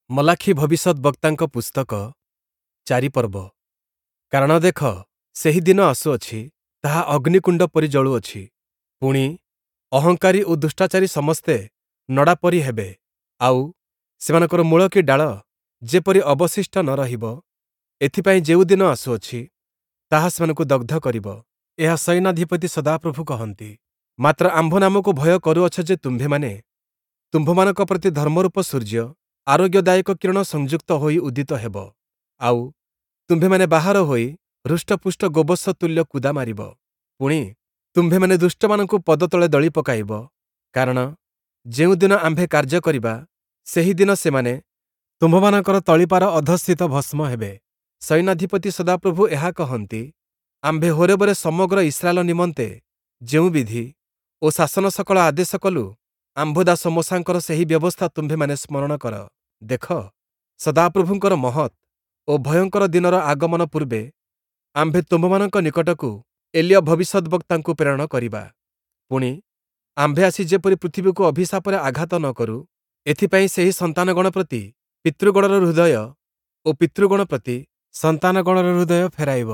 ମଲାଖୀ ଭବିଷ୍ୟଦ୍‌ବକ୍ତାଙ୍କ ପୁସ୍ତକ 4 ପର୍ବ। କାରଣ ଦେଖ, ସେହି ଦିନ ଆସୁଅଛି, ତାହା ଅଗ୍ନିକୁଣ୍ଡ ପରି ଜଳୁଅଛି, ପୁଣି, ଅହଙ୍କାରୀ ଓ ଦୁଷ୍ଟାଚାରୀ ସମସ୍ତେ ନଡ଼ା ପରି ହେବେ, ଆଉ, ସେମାନଙ୍କର ମୂଳ କି ଡାଳ ଯେପରି ଅବଶିଷ୍ଟ ନ ରହିବ, ଏଥିପାଇଁ ଯେଉଁ ଦିନ ଆସୁଅଛି, ତାହା ସେମାନଙ୍କୁ ଦଗ୍ଧ କରିବ। ଏହା ସୈନ୍ୟାଧିପତି ସଦାପ୍ରଭୁ କହନ୍ତି। ମାତ୍ର ଆମ୍ଭ ନାମକୁ ଭୟ କରୁଅଛ ଯେ ତୁମ୍ଭେମାନେ, ତୁମ୍ଭମାନଙ୍କ ପ୍ରତି ଧର୍ମରୂପ ସୂର୍ଯ୍ୟ ଆରୋଗ୍ୟଦାୟକ କିରଣ ସଂଯୁକ୍ତ ହୋଇ ଉଦିତ ହେବ। ଆଉ, ତୁମ୍ଭେମାନେ ବାହାର ହୋଇ ହୃଷ୍ଟପୁଷ୍ଟ ଗୋବତ୍ସ ତୁଲ୍ୟ କୁଦା ମାରିବ। ପୁଣି, ତୁମ୍ଭେମାନେ ଦୁଷ୍ଟମାନଙ୍କୁ ପଦତଳେ ଦଳି ପକାଇବ। କାରଣ ଯେଉଁଦିନ ଆମ୍ଭେ କାର୍ଯ୍ୟ କରିବା, ସେହି ଦିନ ସେମାନେ ତୁମ୍ଭମାନଙ୍କର ତଳିପାର ଅଧଃସ୍ଥିତ ଭସ୍ମ ହେବେ। ସୈନ୍ୟାଧିପତି ସଦାପ୍ରଭୁ ଏହା କହନ୍ତି, ଆମ୍ଭେ ହୋରେବରେ ସମଗ୍ର ଇସ୍ରାଏଲ ନିମନ୍ତେ ଯେଉଁ ବିଧି ଓ ଶାସନ ସକଳ ଆଦେଶ କଲୁ, ଆମ୍ଭ ଦାସ ମୋଶାଙ୍କର ସେହି ବ୍ୟବସ୍ଥା ତୁମ୍ଭେମାନେ ସ୍ମରଣ କର। ଦେଖ, ସଦାପ୍ରଭୁଙ୍କର ମହତ୍ ଓ ଭୟଙ୍କର ଦିନର ଆଗମନ ପୂର୍ବେ ଆମ୍ଭେ ତୁମ୍ଭମାନଙ୍କ ନିକଟକୁ ଏଲୀୟ ଭବିଷ୍ୟଦ୍‌ବକ୍ତାଙ୍କୁ ପ୍ରେରଣ କରିବା। ପୁଣି, ଆମ୍ଭେ ଆସି ଯେପରି ପୃଥିବୀକୁ ଅଭିଶାପରେ ଆଘାତ ନ କରୁ, ଏଥିପାଇଁ ସେହି ସନ୍ତାନଗଣ ପ୍ରତି ପିତୃଗଣର ହୃଦୟ ଓ ପିତୃଗଣ ପ୍ରତି ସନ୍ତାନଗଣର ହୃଦୟ ଫେରାଇବ।